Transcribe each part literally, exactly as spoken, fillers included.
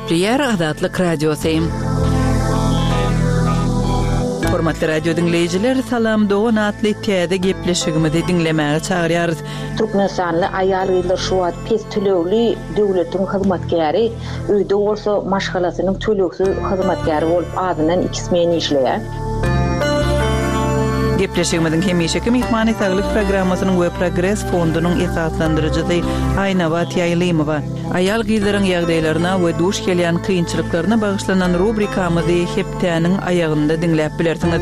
Gepleýär Azatlyk Radiosy. Hormatly radio diňleýjiler, Salam dogan atly täze gepleşigimizi diňlemäge çagyrýarys. Türkmenistanly aýal-gyzlar şu wagt pes tölegli döwletiň hyzmatkäri, öýde bolsa maşgalasynyň tölegsiz hyzmatkäri bolup azyndan iki smen işleýär. Gepleşigimiziň hemişeki myhmany saglyk programmasynyň we Progres fondunyň esaslandyryjysy Aýnabat Ýaýlymowa. Aýal gyzlaryň ýagdaýlaryna we duş gelýän kynçylyklaryna bagyşlanan rubrikamyzy hepdäniň aýagynda diňläp bilersiňiz.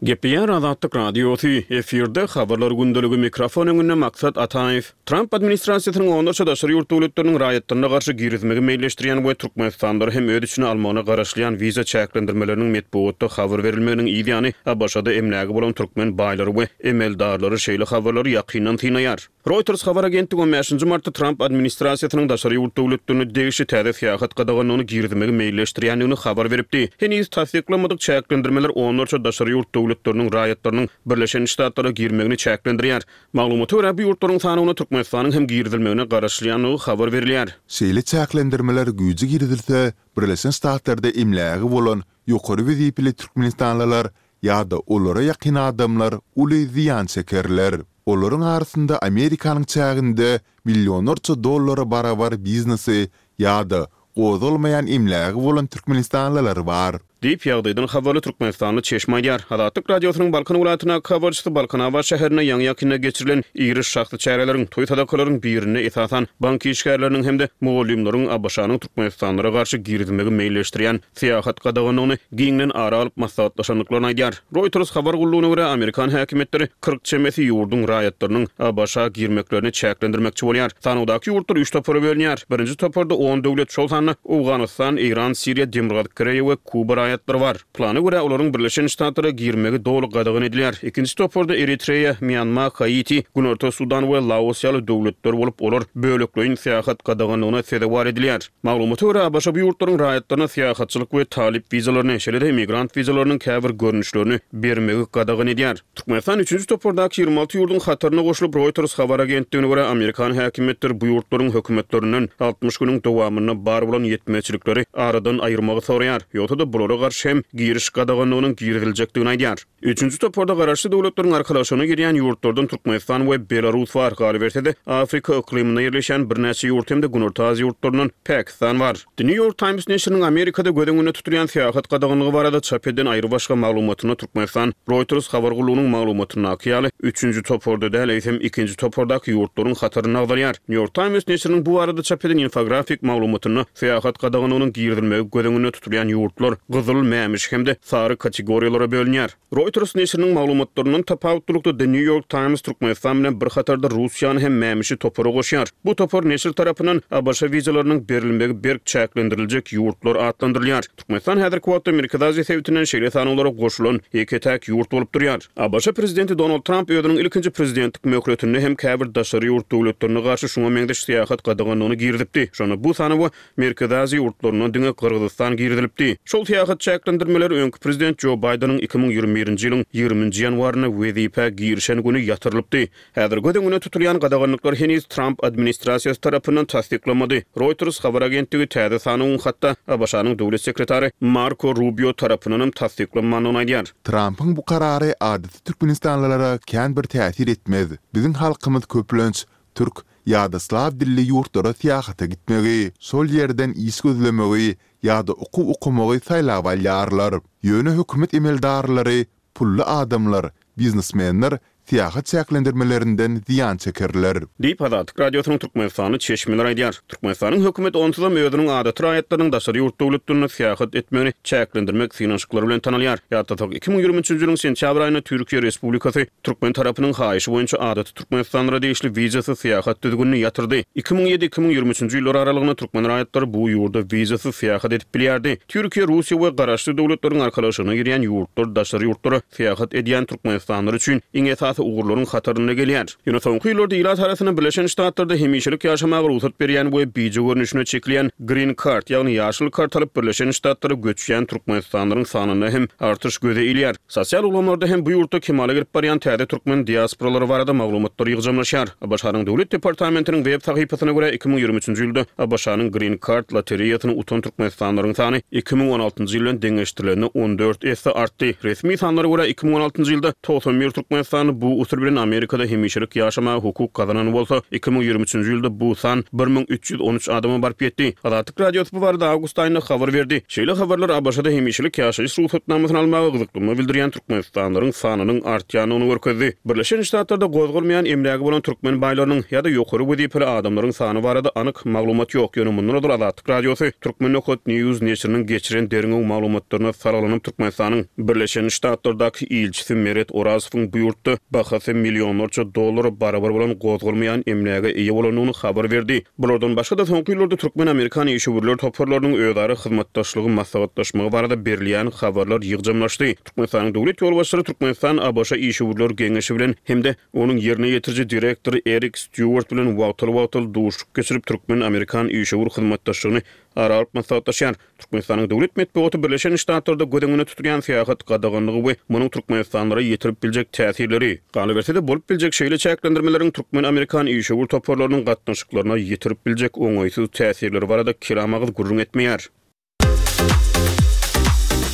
Gepleýär Azatlyk Radiosy, efirde habarlar gündeligi, mikrofon öňünde Maksat Ataýew. Tramp administrasiýasynyň onlarça daşary ýurt döwletleriniň raýatlaryna garşy girizmegi meýilleşdirýän we Türkmenistanlylary hem öz içine almagyna garaşylýan wiza çäklendirmeleriniň metbugatda habar berilmeginiň yz ýany A B Ş-da emlägi bolan türkmen baýlary we emeldarlary şeýle habarlary ýakyndan synaýar. Reuters habar agentligi on bäşinji martda Tramp administrasiýasynyň daşary ýurt döwletlerine degişli täze syýahat gadaganlygyny girizmegi meýilleşdirýändigini habar beripdi. Heniz tassyklanmadyk çäklendirmeler onlarça daşary ýurt döwletleriniň raýatlarynyň Birleşen Ştatlara girmegini çäklendirýär. Maglumata görä, bu ýurtlaryň sanawyna Türkmenistanyň hem girizilmegine garaşylýandygy habar berilýär. Şeýle çäklendirmeler güýje girizilse, Birleşen Ştatlarda emlägi bolan ýokary wezipeli türkmenistanlylar ýa-da olara ýakyn adamlar uly zyýan çekerler. Olaryň arasynda Amerikanyň çäginde millionlarça dollara barabar biznesi ýa-da gozgalmaýan emlägi bolan türkmenistanlylar bar. Diýip, ýagdaýdan habarly türkmenistanly çeşme aýdýar. Azatlyk Radiosynyň Balkan welaýatyndaky habarçysy Balkanabat şäherinde ýaňy-ýakynda geçirilen iri şahsy çäreleriň, toý-sadakalaryň birinde esasan bank işgärleriniň hem-de mugallymlaryň A B Ş-nyň türkmenistanlylara garşy girizmegi meýilleşdirýän syýahat gadaganlygyny giňden ara alyp maslahatlaşandyklaryny aýdýar. Reuters habar gullugyna görä, amerikan häkimiýetleri kyrk çemesi ýurduň raýatlarynyň A B Ş-a girmeklerini çäklendirmekçi bolýar. Sanawdaky ýurtlar üç topara bölünýär. Birinji toparda on döwlet, şol sanda Owganystan, Eýran, Siriýa, Demirgazyk Koreýa we Kuba raýatlary bar. Plana görä, olaryň Birleşen Ştatlara girmegi doly gadagan edilýär. Ikinji toparda Eritreýa, Mýanma, Haiti, Günorta Sudan we Laos ýaly döwletler bolup, olar bölekleýin syýahat gadaganlygyna sezewar edilýär. Maglumata görä, A B Ş bu ýurtlaryň raýatlaryna syýahatçylyk we talyp wizalaryny, şeýle-de immigrant wizalarynyň käbir görnüşlerini bermegi gadagan edýär. Türkmenistan üçünji topardaky ýigrimi alty ýurduň hataryna goşulyp, Reuters habar agentligine görä, amerikan häkimiýetleri bu ýurtlaryň hökümetlerinden altmyş günüň dowamynda bar bolan ýetmezçilikleri aradan aýyrmagy soraýar. Ýogsa-da bulara garşy hem giriş gadaganlygynyň giriziljekdigini aýdýar. Üçünji toparda Garaşsyz Döwletleriň Arkalaşygyna girýän ýurtlardan Türkmenistan we Belarus bar. Galyberse-de, Afrika yklymynda ýerleşýän birnäçe ýurt hem-de Günorta Aziýa ýurtlaryndan Pakistan bar. The New York Times neşiriniň Amerikada göz öňünde tutulýan syýahat gadaganlygy barada çap eden aýrybaşga maglumatynda Türkmenistan Reuters habar gullugynyň maglumatyndaky ýaly üçünji toparda däl, eýsem ikinji topardaky ýurtlaryň hatarynda agzalýar. New York Times neşiriniň bu barada çap eden infografik maglumatynda syýahat gadaganlygynyň girizilmegi göz öňünde tutulýan ýurtlar gyzyl, mämişi hem-de sary kategoriýalara bölünýär. Reuters neşiriniň maglumatlaryndan tapawutlylykda The New York Times Türkmenistan bilen bir hatarda Russiýany hem mämişi topara goşýar. Bu topar neşir tarapyndan A B Ş wizalarynyň berilmegi berk çäklendiriljek ýurtlar atlandyrylýar. Türkmenistan häzirki wagtda Merkezi Aziýa sebitinden şeýle sanawlara goşulan ýeke-täk ýurt bolup durýar. A B Ş prezidenti Donald Tramp özüniň ilkinji prezidentlik möhletinde hem käbir daşary ýurt döwletlerine garşy şuňa meňzeş syýahat gadaganlygyny girizipdi. Şonda bu sanawa Merkezi Aziýa ýurtlaryndan diňe Gyrgyzystan girizilipdi. Şol syýahat çäklendirmeleri öňki prezident Jo Baýdeniň iki müň ýigrimi birinji ýylyň ýigriminji ýanwarynda wezipä girişen güni ýatyrylypdy. Häzir göz öňünde tutulýan gadaganlyklar heniz Tramp administrasiýasy tarapyndan tassyklanmady. Reuters habar agentligi täze sanawyň hatda A B Ş-nyň döwlet sekretary Marko Rubio tarapyndan tassyklanmandygyny aýdýar. Trampyň bu karary adaty türkmenistanlylara kän bir täsir etmez. Biziň halkymyz köplenç türk ýa-da slaw dilli ýurtlara syýahata gitmegi, şol ýerden iş gözlemegi ýa-da okuw okamagy saýlap alýarlar. Ýöne hökümet emeldarlary, pully adamlar, biznesmenler syýahat çäklendirmelerinden zyýan çekerler. Diýip, Azatlyk Radiosynyň Türkmenistanly çeşmeleri aýdýar. Türkmenistanyň hökümeti onsuzam özüniň adaty raýatlarynyň daşary ýurt döwletlerinde syýahat etmegini çäklendirmek synanyşyklary bilen tanalýar. Ýatlasak, iki müň ýigrimi üçünji ýylyň sentýabr aýynda Türkiýe Respublikasy türkmen tarapynyň haýyşy boýunça adaty türkmenistanlylara degişli wizasyz syýahat düzgünini ýatyrdy. iki müň ýedi-iki müň ýigrimi üçünji ýyllar aralygynda türkmen raýatlary bu ýurda wizasyz syýahat edip bilýärdi. Türkiýe, Russiýa we Garaşsyz Döwletleriň Arkalaşygyna girýän ýurtlar daşary ýurtlara syýahat edýän türkmenistanlylar üçin iň esasy esasy ugurlaryň hatarynda gelýär. Ýöne soňky ýyllarda ilat arasynda Birleşen Ştatlarda hemişelik ýaşamaga rugsat berýän we bije görnüşine çekilýän Green Card, ýagny ýaşyl kart alyp Birleşen Ştatlara göçýän türkmenistanlylaryň sanynda hem artyş göze ilýär. Sosial ulgamlarda hem bu ýurtda kemala gelip barýan täze türkmen diasporalary barada maglumatlar ýygjamlaşýar. ABŞ-nyň Döwlet departamentiniň web sahypasyna görä iki müň ýigrimi üçünji ýylda ABŞ-nyň Green Card lotereýasyny utan türkmenistanlylaryň sany iki müň on altynjy ýyl bilen deňeşdirilende on dört esse artdy. Resmi sanlara görä iki müň on altynjy ýylda togsan bir türkmenistanly bu usul bilen Amerikada hemişelik ýaşamaga hukuk gazanan bolsa, iki müň ýigrimi üçünji ýylda bu san bir müň üç ýüz on üç adama baryp ýetdi. Azatlyk Radiosy bu barada awgust aýynda habar berdi. Şeýle habarlar ABŞ-da hemişelik ýaşaýyş rugsatnamasyny almaga gyzyklanma bildirýän türkmenistanlylaryň sanynyň artýandygyny görkezdi. Birleşen Ştatlarda gozgalmaýan emlägi bolan türkmen baýlarynyň ýa-da ýokary wezipeli adamlaryň sany barada anyk maglumat ýok. Ýöne mundan ozal Azatlyk Radiosy Türkmen Nokat News neşiriniň geçiren derňew maglumatlaryna salgylanyp Türkmenistanyň Birleşen Ştatlardaky ilçisi Meret Orazowyň bu ýurtda bahasy millionlarça dollara barabar bolan gozgalmaýan emläge eýe bolandygyny habar berdi. Bulardan başga-da soňky ýyllarda türkmen-amerikan işewürler toparlarynyň özara hyzmatdaşlygy maslahatlaşmagy barada berilýän habarlar ýygjamlaşdy. Türkmenistanyň döwlet ýolbaşçylary Türkmenistan ABŞ işewürler geňeşi bilen hem-de onuň ýerine ýetiriji direktory Erik Stýuart bilen wagtal-wagtal duşuşyk geçirip türkmen-amerikan işewür hyzmatdaşlygyny ara alyp maslahatlaşýar. Türkmenistanyň döwlet metbugaty Birleşen Ştatlarda göz öňünde tutulýan syýahat gadaganlygy we munuň Türkmenistanlara ýetirip biljek täsirleri, galyberse-de bolup biljek şeýle çäklendirmeleriň türkmen-amerikan işewür toparlarynyň gatnaşyklaryna ýetirip biljek oňaýsyz täsirleri barada kelam agyz gürrüň etmeýär.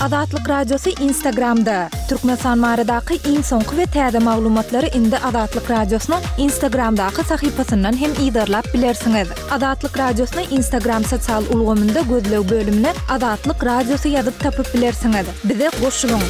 Azatlyk Radiosy Instagramda. Türkmenistan baradaky iň soňky we täze maglumatlary indi Azatlyk Radiosynyň Instagramdaky sahypasyndan hem yzarlap bilersiňiz. Azatlyk Radiosyny Instagram sosial ulgamynda gözleg bölümine Azatlyk Radiosy ýazyp tapyp bilersiňiz. Bize goşulyň.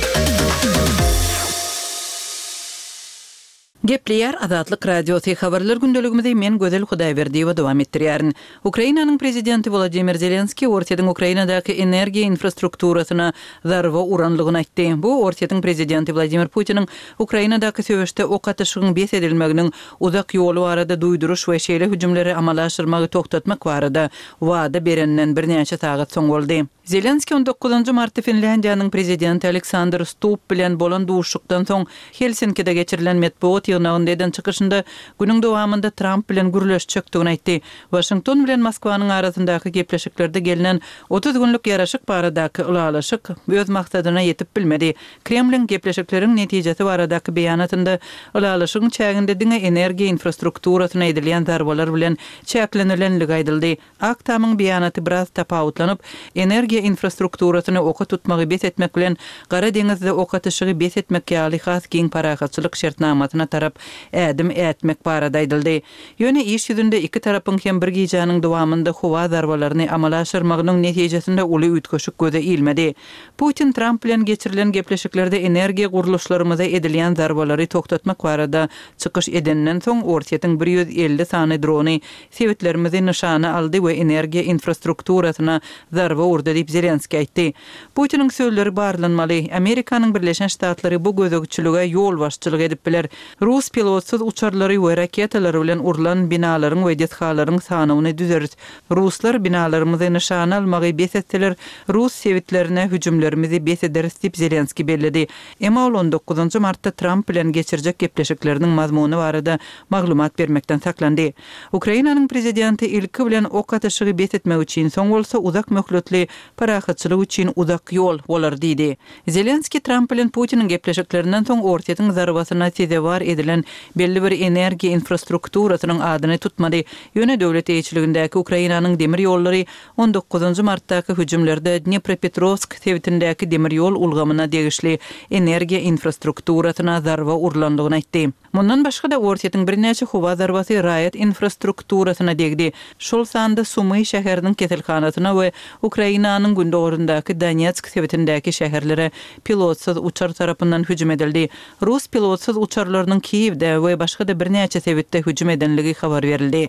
Gepleýär Azatlyk Radiosy habarlar gündeligimizi men Gözel Hudaýberdiýewa dowam etdirýärin. Ukrainanyň prezidenti Wladimir Zelenskiý Orsýetiň Ukrainadaky energiýa infrastrukturasyna zarba uranlygyny aýtdy. Bu Orsýetiň prezidenti Wladimir Putiniň Ukrainadaky söweşde ok atyşygyň bes edilmeginiň uzak ýoly barada duýduryş we şeýle hüjümleri amala aşyrmagy togtatmak barada wada berenden birnäçe sagat soň boldy. Zelenskiý on dokuzynjy martda Finlýandiýanyň prezidenti Aleksandr Stubb bilen bolan duşuşykdan soň Helsinkide geçirilen metbugat ýygnagynda eden çykyşynda günüň dowamynda Tramp bilen gürleşjekdigini aýtdy. Waşington bilen Moskwanyň arasyndaky gepleşiklerde gelnen otuz günlük ýaraşyk baradaky ylalaşyk öz maksadyna ýetip bilmedi. Kremliň gepleşikleriň netijesi baradaky beýanatynda ylalaşygyň çäginde diňe energiýa infrastrukturasyna edilýän zarbalar bilen çäklenilenligi aýdyldy. Ak Tamyň beýanaty biraz tapawutlanyp, energiýa infrastrukturasyny oka tutmagy bes etmek bilen Gara deňizde ok atyşygy bes etmek ýaly has giň parahatçylyk şertnamasyna tarap ädim ätmek barada aýdyldy. Ýöne iş ýüzünde iki tarapyň hem bir gijäniň dowamynda howa zarbalaryny amala aşyrmagynyň netijesinde uly üýtgeşik göze ilmedi. Putin Tramp bilen geçirilen gepleşiklerde energiýa gurluşlarymyza edilýän zarbalary togtatmak barada çykyş edenden soň Orsýetiň bir ýüz elli sany drony sebitlerimizi nyşana aldy we energiýa infrastrukturasyna zarba urdy diýip Zelenskiý aýtdy. Putiniň sözleri barlanmaly. Amerikanyň Birleşen Ştatlary bu gözegçilige ýolbaşçylyk edip biler. Rus pilotsyz uçarlary we raketalary bilen urlan binalaryň we desgalaryň sanawyny düzeris. Ruslar binalarymyzy nyşana almagy bes etseler, rus sebitlerine hüjümlerimizi bes ederis diýip Zelenskiý belledi. Emma ol on dokuzynjy martda Tramp bilen geçirjek gepleşikleriniň mazmuny barada maglumat bermekden saklandy. Ukrainanyň prezidenti ilki bilen ok atyşygy bes etmek üçin, soň bolsa uzak möhletli parahatçylyk üçin uzak ýol bolar diýdi. Zelenskiý Tramp bilen Putiniň gepleşiklerinden soň Orsýetiň zarbasyna sezewar edilen belli bir energiýa infrastrukturasynyň adyny tutmady. Ýöne döwlet eýeçiligindäki Ukrainanyň demir ýollary on dokuzynjy martdaky hüjümlerde Dnepropetrovsk sebitindäki demir ýol ulgamyna degişli energiýa infrastrukturasyna zarba urlandygyny aýtdy. Mundan başga-da Orsýetiň birnäçe howa zarbasy raýat infrastrukturasyna degdi. Şol sanda Sumy şäheriniň keselhanasyna we Ukrainanyň gündogaryndaky Donetsk sebitindäki şäherlere pilotsyz uçar tarapyndan hüjüm edildi. Rus pilotsyz uçarlarynyň Kiýewde we başga-da birnäçe sebitde hüjüm edenligi habar berildi.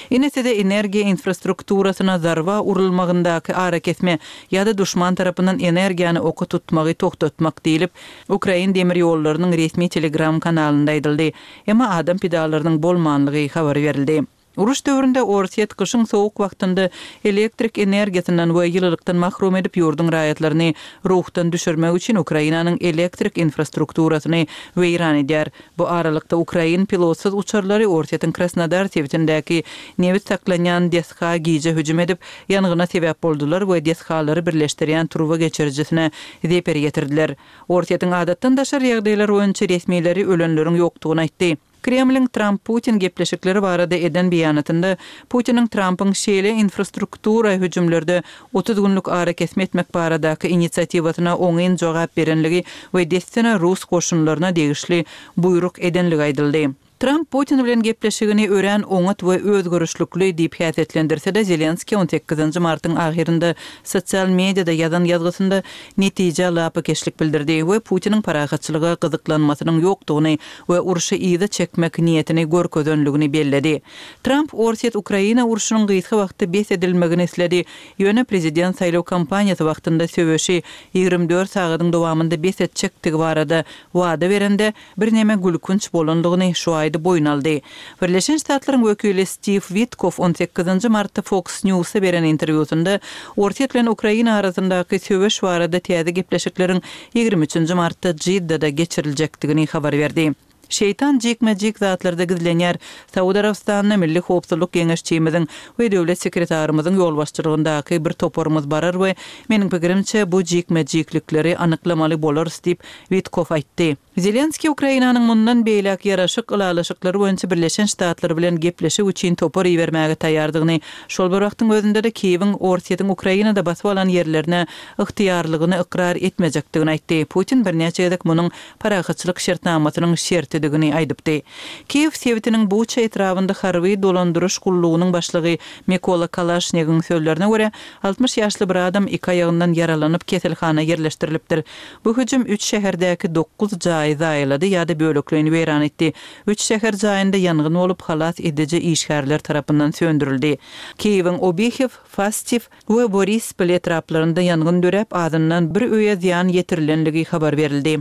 Ine size energiýa infrastrukturasyna zarba urulmagyndaky arakesme ýa-da duşman tarapyndan energiýany oka tutmagy togtatmak diýlip, Ukrain demir ýollarynyň resmi Telegram kanalynda aýdyldy. Emma adam pidalarynyň bolmanlygy habar berildi. Uruş döwründe Orsýet gyşyň sowuk wagtynda elektrik energiýasyndan we ýylylykdan mahrum edip ýurduň raýatlaryny ruhdan düşürmek üçin Ukrainanyň elektrik infrastrukturasyny weýran edýär. Bu aralykda ukrain pilotsyz uçarlary Orsýetiň Krasnodar sebitindäki nebit saklanýan desga gije hüjüm edip, ýangyna sebäp boldular we desgalary birleşdirýän turba geçirijisine zeper ýetirdiler. Orsýetiň adatdan daşary ýagdaýlar boýunça resmileri ölenleriň ýokdugyny aýtdy. Kremliň Tramp-Putin gepleşikleri barada eden beýanatynda Putiniň Trampyň şeýle infrastruktura hüjümlerde otuz günlük arakesme etmek baradaky inisiatiwasyna oňyn jogap berenligi we dessine rus goşunlaryna degişli buýruk edenligi aýdyldy. Tramp Putin bilen gepleşigini örän oňat we özgerişlikli diýip häsiýetlendirse-de, Zelenskiý on sekizinji martyň ahyrynda sosial mediada ýazan ýazgysynda netijä lapykeçlik bildirdi we Putiniň parahatçylyga gyzyklanmasynyň ýokdugyny we urşy yza çekmek niýetini görkezenligini belledi. Tramp Orsýet-Ukraina urşunyň gysga wagtda bes edilmegini isledi, ýöne prezident saýlaw kampaniýasy wagtynda söweşi ýigrimi dört sagadyň dowamynda bes etjekdigi barada wada berende, birneme gülkünç bolandygyny şu aýda boýun aldy. Birleşen Ştatlaryň wekili Stiw Witkoff on sekizinji martda Fox News-a beren interwýusynda Orsýet bilen Ukraina arasyndaky söweş barada täze gepleşikleriň ýigrimi üçünji martda Jiddada geçiriljekdigini habar berdi. Şeýtan jikme-jik zatlarda gizlenýär. Saud Arabystanyna Milli howpsuzlyk geňeşçimiziň we döwlet sekretarymyzyň ýolbaşçylygyndaky bir toparymyz barar we, meniň pikirimçe, bu jikme-jiklikleri anyklamaly bolarys diýip, Witkoff aýtdy. Zelenskiý Ukrainanyň mundan beýläk ýaraşyk ylalaşyklary boýunça Birleşen Ştatlar bilen gepleşik üçin topar ibermäge taýýardygyny, şol bir wagtyň özünde-de Kiýewiň Orsýetiň Ukrainada basyp alan ýerlerine ygtyýarlygyny ykrar etmejekdigini aýtdy. Putin birnäçe gezek munuň parahatçylyk şertnamasynyň şertidigini aýdypdy. Kiýew sebitiniň Buça etrabynda harby dolandyryş gullugynyň başlygy Mikola Kalaşnigiň sözlerine görä, altmyş ýaşly bir adam iki aýagyndan ýaralanyp keselhana ýerleşdirilipdir. Bu hüjüm üç şäherdäki dokuz jaýy zaýalady ýa-da bölekleýin weýran etdi. Üç şäher jaýynda ýangyn bolup, halas ediji işgärler tarapyndan söndürildi. Kiýewiň Obihew, Fastiw we Borispol etraplarynda ýangyn döräp, azyndan bir öýe zyýan ýetirilenligi habar berildi.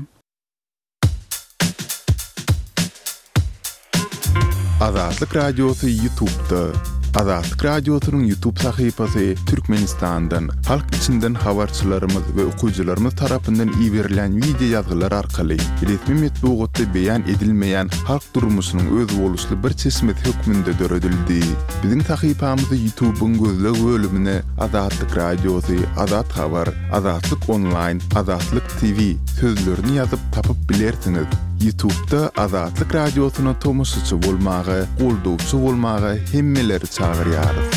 Azatlyk Radiosy YouTube'da. Azatlyk Radiosynyň YouTube sahypasy Türkmenistandan, halk içinden habarçylarymyz we okyjylarymyz tarapyndan iberilen wideo ýazgylar arkaly resmi metbugatda beýan edilmeýän halk durmuşynyň özboluşly bir çeşmesi hökmünde döredildi. Biziň sahypamyzy YouTube'yň gözleg bölümine Azatlyk Radiosy, Azat Habar, Azatlyk Online, Azatlyk T V sözlerini ýazyp tapyp bilersiňiz. YouTube'da Azatlyk Radiosyna tomaşaçy bolmaga, goldawçy bolmaga hemmeleri çagyrýarys.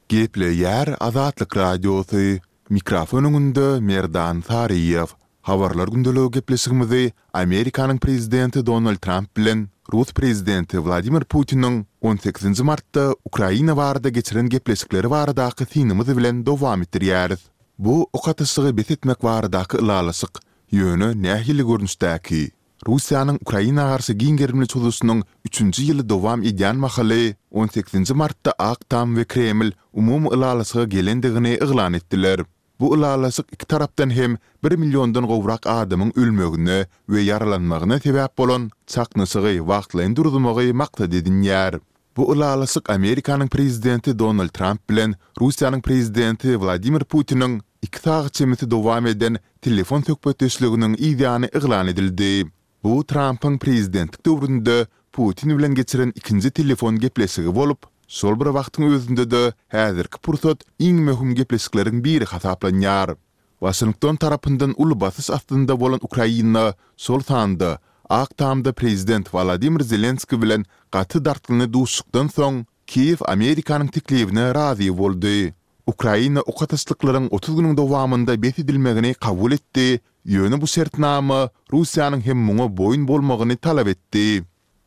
Gepleýär Azatlyk Radiosy. Mikrofon öňünde Merdan Saryýew. Habarlar gündeligi gepleşigimizi Amerikanyň prezidenti Donald Tramp bilen Rus prezidenti Wladimir Putiniň on sekizinji martda Ukraina barada geçiren gepleşikleri baradaky synymyz bilen dowam etdirýäris. Bu ok atyşygy bes etmek baradaky ylalaşyk, ýöne nähili görnüşdäki? Russiýanyň Ukraina garşy giň gerimli çozuşynyň üçünji ýyly dowam edýän mahaly on sekizinji martda Ak Tam we Kreml umumy ylalaşyga gelendigini yglan etdiler. Bu ylalaşyk iki tarapdan hem bir milliondan gowrak adamyň ölmegine we ýaralanmagyna sebäp bolan çaknyşygy wagtlaýyn duruzmagy maksat edinýär. Bu ylalaşyk Amerikanyň prezidenti Donald Tramp bilen Russiýanyň prezidenti Wladimir Putiniň iki sagat çemesi dowam eden telefon söhbetdeşliginiň yzýany yglan edildi. Bu Trampyň prezidentlik döwründe Putin bilen geçiren ikinji telefon gepleşigi bolup, şol bir wagtyň özünde-de häzirki pursat iň möhüm gepleşikleriň biri hasaplanýar. Waşington tarapyndan uly basyş astynda bolan Ukraina, şol sanda Ak Tamda prezident Wladimir Zelenskiý bilen gaty dartgynly duşuşykdan soň Kiýew Amerikanyň teklibine razy boldy. Ukraina ok atyşlyklaryň otuz günüň dowamynda bes edilmegini kabul etdi, ýöne bu şertnama Russiýanyň hem muňa boýun bolmagyny talap etdi.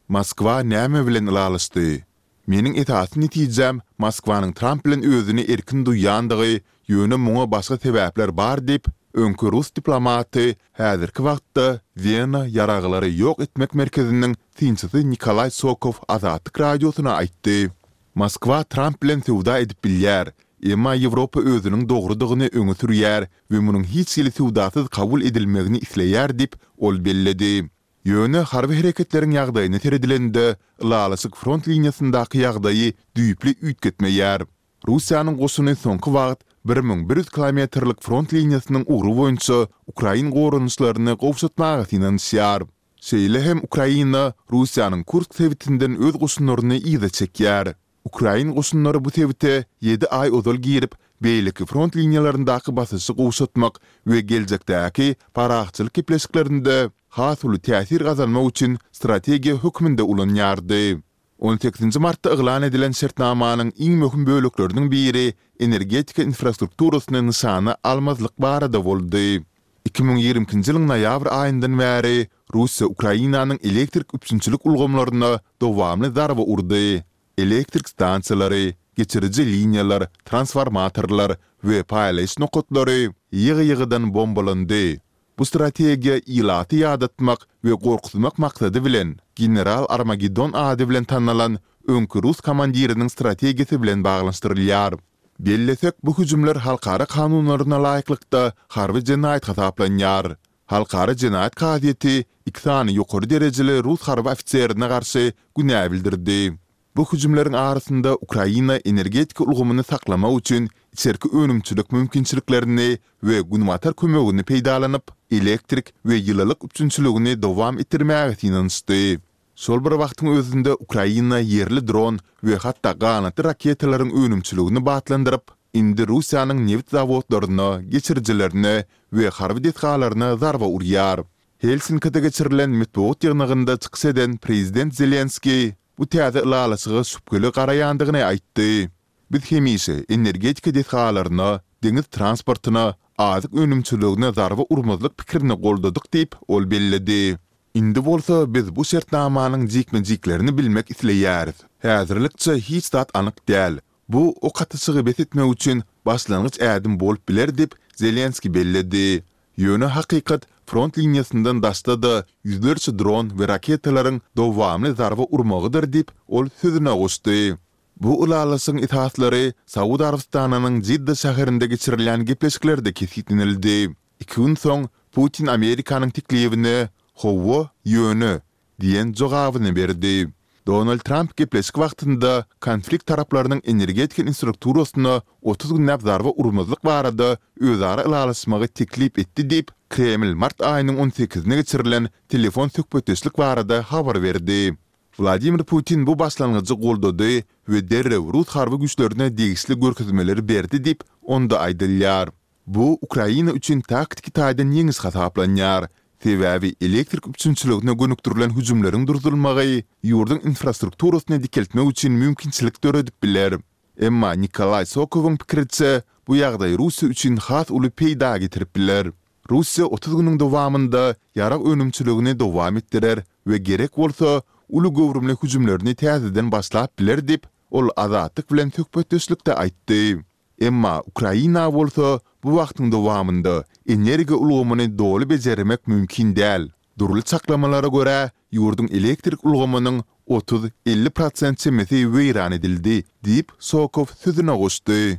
Moskwa näme bilen ylalaşdy? Meniň esasy netijäm Moskwanyň Tramp bilen özüni erkin duýýandygy, ýöne muňa başga sebäpler bar diýip, öňki rus diplomaty, häzirki wagtda Wena ýaraglary ýok etmek merkeziniň synçysy Nikolaý Sokow Azatlyk Radiosyna aýtdy. Moskwa Tramp bilen söwda edip bilýär, emma Ýewropa özüniň dogrudygyny öňe sürýär we munuň hiç hili söwdasyz kabul edilmegini isleýär diýip, ol belledi. Ýöne harby hereketleriň ýagdaýyna seredilende, ylalaşyk front liniýasyndaky ýagdaýy düýpli üýtgetmeýär. Russiýanyň goşuny soňky wagt bir müň bir ýüz kilometrlik front liniýasynyň ugry boýunça ukrain goranyşlaryny gowşatmaga synanyşýar. Şeýle hem Ukraina Russiýanyň Kursk sebitinden öz goşunlaryny yza çekýär. Ukrain goşunlary bu sebite ýedi aý ozal girip, beýleki front liniýalaryndaky basyşy gowşatmak we geljekdäki parahatçylyk gepleşiklerinde has uly täsir gazanmak üçin strategiýa hökmünde ulanýardy. On sekizinji martda yglan edilen şertnamanyň iň möhüm bölekleriniň biri energetika infrastrukturasyny nyşana almazlyk barada boldy. Iki müň ýigrimi ikinji ýylyň noýabr aýyndan bäri Russiýa Ukrainanyň elektrik üpjünçilik ulgamlaryna dowamly zarba urdy. Elektrik stansiýalary, geçiriji liniýalar, transformatorlar we paýlaýyş nokatlary ýygy-ýygydan bombalandy. Bu strategiýa ilaty ýadatmak we gorkuzmak maksady bilen General Armageddon ady bilen tanalan öňki rus komandiriniň strategiýasy bilen baglanyşdyrylýar. Bellesek, bu hüjümler halkara kanunlaryna laýyklykda harby jenaýat hasaplanýar. Halkara jenaýat kazyýeti iki sany ýokary derejeli rus harby ofiserine garşy günä bildirdi. Bu hüjümleriň arasynda Ukraina energetika ulgamyny saklamak üçin içerki önümçilik mümkinçiliklerini we Günbatar kömegini peýdalanyp, elektrik we ýylylyk üpjünçiligini dowam etdirmäge synanyşdy. Şol bir wagtyň özünde Ukraina ýerli dron we hatda ganatly raketalaryň önümçiligini batlandyryp, indi Russiýanyň nebit zawodlaryna, geçirijilerine we harby desgalaryna zarba urýar. Helsinkide geçirilen metbugat ýygnagynda çykyş eden prezident Zelenskiý bu täze ylalaşyga şübheli garaýandygyny aýtdy. Biz hemişe energetika desgalaryna, deňiz transportyna, azyk önümçiligine zarba urmazlyk pikirini goldadyk diýip, ol belledi. Indi bolsa biz bu şertnamanyň jikme-jiklerini bilmek isleýäris. Häzirlikçe hiç zat anyk däl. Bu ok atyşygy bes etmek üçin başlangyç ädim bolup biler diýip, Zelenskiý belledi. Ýöne hakykat front liniýasyndan daşda-da ýüzlerçe dron we raketalaryň dowamly zarba urmagydyr diýip, ol sözüne goşdy. Bu ylalaşygyň esaslary Saud Arabystanynyň Jidda şäherinde geçirilýän gepleşiklerde kesgitlenildi. Iki gün soň Putin Amerikanyň teklibine Hawa, ýöne diýen jogabyny berdi. Donald Tramp gepleşik wagtynda konflikt taraplarynyň energetika infrastrukturasyna otuz günläp zarba urmazlyk barada özara ylalaşmagy teklip etdi diýip, Kreml mart aýynyň on sekizine geçirilen telefon söhbetdeşlik barada habar berdi. Wladimir Putin bu başlangyjy goldady we derrew rus harby güýçlerine degişli görkezmeleri berdi diýip, onda aýdylýar. Bu Ukraina üçin taktiki taýdan ýeňiş hasaplanýar, sebäbi elektrik üpjünçiligine gönükdirilen hüjümleriň durdurylmagy ýurduň infrastrukturasyny dikeltmek üçin mümkinçilik döredip biler. Emma Nikolaý Sokowyň pikiriçe, bu ýagdaý Russiýa üçin has uly peýda getirip biler. Russiýa otuz günüň dowamynda ýarag önümçiligini dowam etdirer we gerek bolsa, uly göwrümli hüjümlerini täzeden başlap biler diýip, ol Azatlyk bilen söhbetdeşlikde aýtdy. Emma Ukraina bolsa bu wagtyň dowamynda energiýa ulgamyny doly bejermek mümkin däl. Dürli çaklamalara görä, ýurduň elektrik ulgamynyň otuz, elli prosent çemesi weýran edildi, diýip, Sokow sözüne goşdy.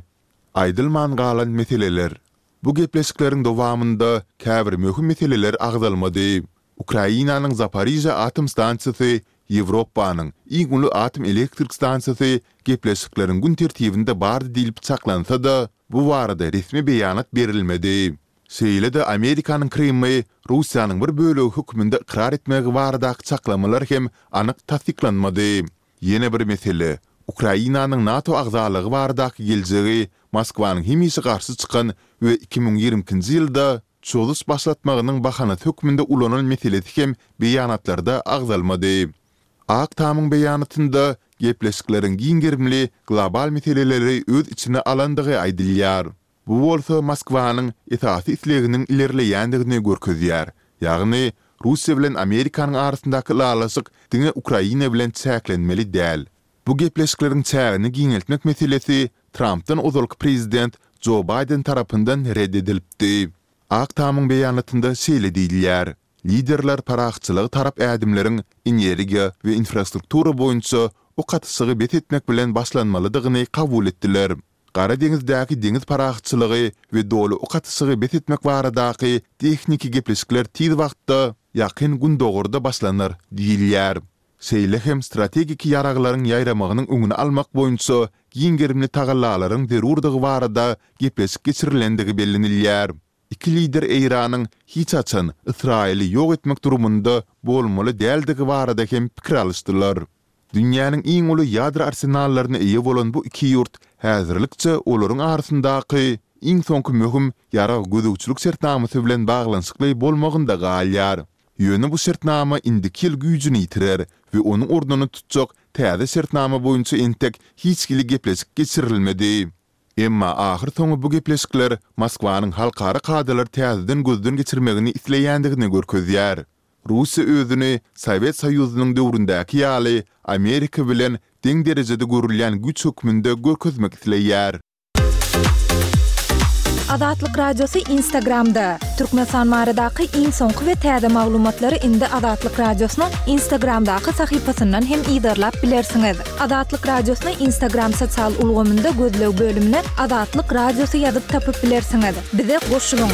Aýdylman galan meseleler. Bu gepleşikleriň dowamynda käbir möhüm meseleler agzalmady. Ukrainanyň Zaporižýa atom stansiýasy, Ýewropanyň iň uly atom elektrik stansiýasy gepleşikleriň gün tertibinde bardy diýlip çaklansa-da, bu barada resmi beýanat berilmedi. Şeýle-de Amerikanyň Krymy Russiýanyň bir bölegi hökmünde ykrar etmegi baradaky çaklamalar hem anyk tassyklanmady. Ýene bir mesele, Ukrainanyň NATO agzalygy baradaky geljegi Moskwanyň hemişe garşy çykan we iki müň ýigrimi ikinji ýylda çozuş başlatmagynyň bahanasy hökmünde ulanan meselesi hem beýanatlarda agzalmady. Ak Tamyň beýanatynda gepleşikleriň giň gerimli global meseleleri öz içine alandygy aýdylýar. Bu bolsa Moskwanyň esasy isleginiň ilerleýändigini görkezýär, ýagny Russiýa bilen Amerikanyň arasyndaky ylalaşyk diňe Ukraina bilen çäklenmeli däl. Bu gepleşikleriň çägini giňeltmek meselesi Trampdan ozalky prezident Jo Baýden tarapyndan ret edilipdi. Ak Tamyň beýanatynda şeýle diýilýär, Liderler parahatçylyga tarap ädimleriň energiýa we infrastruktura boýunça ok atyşygy bes etmek bilen başlanmalydygyny kabul etdiler. Gara deňizdäki deňiz parahatçylygy we doly ok atyşygy bes etmek baradaky tehniki gepleşikler tiz wagtda Ýakyn Gündogarda başlanar diýilýär. Şeýle hem strategik ýaraglaryň ýaýramagynyň öňüni almak boýunça giň gerimli tagallalaryň zerurdygy barada gepleşik geçirilendigi bellenilýär. Iki lider Eýranyň hiç haçan Ysraýyly ýok etmek durumynda bolmaly däldigi barada hem pikir alyşdylar. Dünýäniň iň uly ýadro arsenallaryna eýe bolan bu iki ýurt häzirlikçe olaryň arasyndaky iň soňky möhüm ýarag gözegçilik şertnamasy bilen baglanyşykly bolmagynda galýar. Ýöne bu şertnama indiki ýyl güýjüni ýitirer we onuň ornuny tutjak täze şertnama boýunça entek hiç hili gepleşik geçirilmedi. Emma ahyrsoňy bu gepleşikler Moskwanyň halkara kadalary täzeden gözden geçirmegini isleýändigini görkezýär. Russiýa özüni Sowet Soýuzynyň döwründäki ýaly Amerika bilen deň derejede görülýän güýç hökmünde görkezmek isleýär. Azatlyk Radiosy Instagramda, Türkmenistan baradaky iň soňky we täze maglumatlary indi Azatlyk Radiosynyň Instagramdaky sahypasyndan hem yzarlap bilersiňiz. Azatlyk Radiosyny Instagram sosial ulgamynda gözleg bölümine Azatlyk Radiosy ýazyp tapyp bilersiňiz. Bize goşulyň!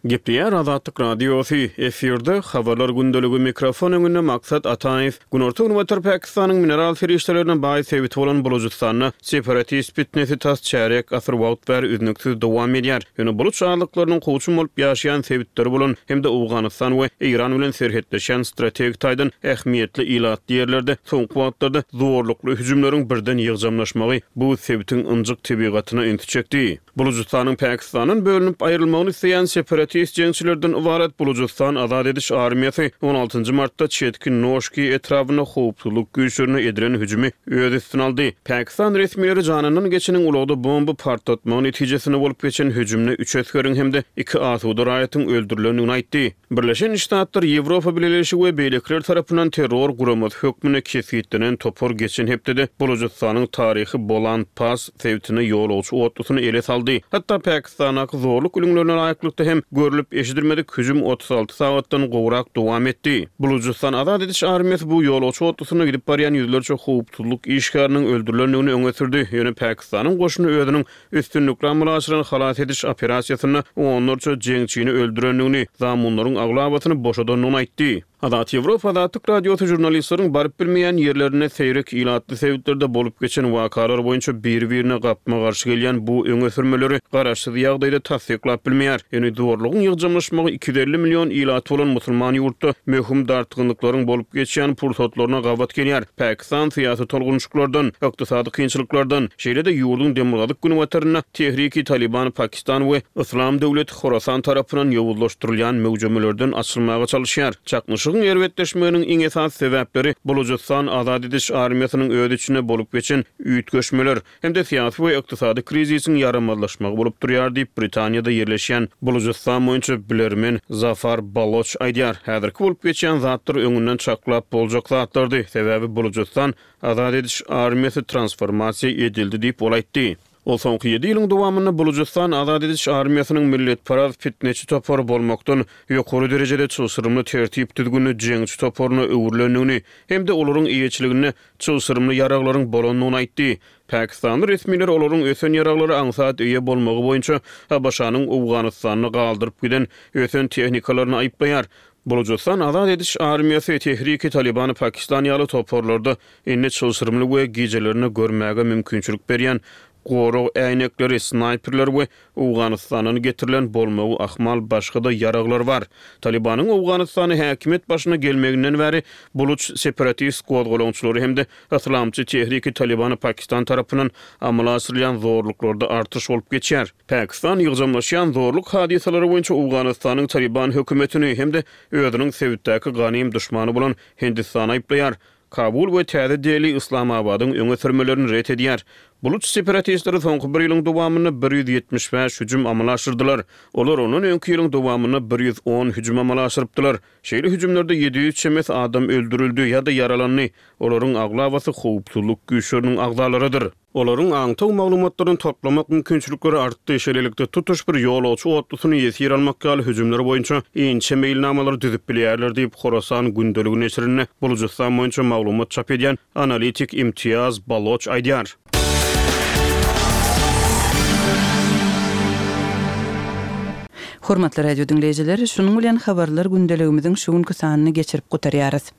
Gepleýär Azatlyk Radiosy, efirde Habarlar gündeligi, mikrofon öňünde Maksat Ataýew. Günorta-günbatar Pakistanyň mineral serişdelerine baý sebiti bolan Bulujystanda separatist pitnesi tas çärýek asyr wagt bäri üznüksiz dowam edýär. Ýöne buluç azlyklarynyň kowçum bolup ýaşaýan sebitleri bolan hem-de Owganystan we Eýran bilen serhetleşýän strategik taýdan ähmiýetli ilatly ýerlerde soňky wagtlarda zorlukly hüjümleriň birden ýygjamlaşmagy bu sebitiň ynjyk tebigatyna ünsi çekdi. Bulujystanyň Pakistandan bölünip aýrylmagyny isleýän separatist jeňçilerden ybarat Bulujystan azat ediş armiýasy on altynjy martda çetki Noşki etrabynda howpsuzlyk güýçlerine edilen hüjümi öz üstüne aldy. Pakistan resmileri janyndan geçeniň ulagda bomba partlatmagy netijesinde bolup geçen hüjümde üç esgeriň hem-de iki asuda raýatyň öldürilendigini aýtdy. Birleşen Ştatlar, Ýewropa Bileleşigi we beýlekiler tarapyndan terror guramasy hökmünde kesgitlenen topar geçen hepdede Bulujystanyň taryhy Bolan Pass sebitinde ýolagçy otlusyny ele saldy. Hatda Pakistandaky zorluk ülňülerine laýyklykda hem görlüp-eşidilmedik hüjüm otuz alty sagatdan gowrak dowam etdi. Bulujystan azat ediş armiýasy bu ýolagçy otlusynda gidip barýan ýüzlerçe howpsuzlyk işgäriniň öldürilendigini öňe sürdi, ýöne Pakistanyň goşuny özüniň Üstünlikli amala aşyran halas ediş operasiýasynda onlarça jeňçini öldürendigini, zamunlaryň aglabasyny boşadandygyny aýtdy. Azat Ýewropa Azatlyk Radiosy žurnalistleriň baryp bilmeýän ýerlerinde seýrek ilatly sebitlerde bolup geçen wakalar boýunça biri-birine gapma-garşy gelýän bu öňe sürmeleri garaşsyz ýagdaýda tassyklap bilmeýär. Ýöne zorlugyň ýygjamlaşmagy iki ýüz elli million ilaty bolan musulman ýurtda möhüm dartgynlyklaryň bolup geçýän pursatlaryna gabat gelýär. Pakistan syýasy tolgunyşyklardan, ykdysady kynçylyklardan, şeýle-de ýurduň demirgazyk-günbatarynda Tehriki Talyban Pakistan we Yslam döwleti Horasan tarapyndan ýowuzlaşdyrylýan möwjemelerden açylmaga çalyşýar. Çaknyşygyň erbetleşmeginiň iň esasy sebäpleri Bulujystan azat ediş armiýasynyň öz içinde bolup geçen üýtgeşmeler, hem-de syýasy we ykdysady krizisiň ýaramazlaşmagy bolup durýar diýip, Britaniýada ýerleşýän Bulujystan boýunça bilermen Zafar Baloç aýdýar. Häzirki bolup geçýän zatlar öňünden çaklap boljak zatlardy, sebäbi Bulujystan azat ediş armiýasy transformasiýa edildi diýip, ol aýtdy. Ol soňky ýedi ýylyň dowamynda Bulujystan azat ediş armiýasynyň milletparaz pitneçi topary bolmakdan ýokary derejede çylşyrymly tertip-düzgünli jeňçi toparyna öwrülendigini hem-de olaryň eýeçiliginde çylşyrymly ýaraglaryň bolandygyny aýtdy. Pakistanly resmiler olaryň ösen ýaraglara aňsat eýe bolmagy boýunça ABŞ-nyň Owganystanda galdyryp giden ösen tehnikalaryny aýyplaýar. Bulujystan azat ediş armiýasy, Tehriki Talybany Pakistan ýaly toparlarda indi çylşyrymly we gijelerine görmäge mümkinçilik berýän gorag äýnekleri, snaýperler we Owganystandan getirilen bolmagy ahmal başga-da ýaraglar bar. Talybanyň Owganystanda häkimiýet başyna gelmeginden bäri buluç separatist gozgalaňçylary hem-de yslamçy Tehriki Talybany Pakistan tarapyndan amala aşyrylýan zorluklarda artyş bolup geçýär. Pakistan ýygjamlaşýan zorluk hadysalary boýunça Owganystanyň Talyban hökümetini hem-de özüniň sebitdäki ganym duşmany bolan Hindistany aýyplaýar. Kabul we Täze Deli Yslamabadyň öňe sürmelerini ret edýär. Buluç separatistleri soňky bir ýylyň dowamynda bir ýüz ýetmiş bäş hüjüm amala aşyrdylar. Olar ondan öňki ýylyň dowamynda bir ýüz on hüjüm amala aşyrypdylar. Şeýle hüjümlerde ýedi ýüz çemesi adam öldürildi ýa-da ýaralandy. Olaryň aglabasy howpsuzlyk güýçleriniň agzalarydyr. Olaryň aňtaw maglumatlaryny toplamak mümkinçilikleri artdy, şeýlelikde, tutuş bir ýolagçy otlusyny ýesir almak ýaly hüjümler boýunça inçe meýilnamalary düzüp bilýärler diýip, Horasan gündeligi neşirinde Bulujystan boýunça maglumat çap edýän analitik Imtiýaz Baloç aýdýar. Hormatly radio diňleýjiler, şunuň bilen habarlar gündeligimiziň şu günki sanyny geçirip gutarýarys.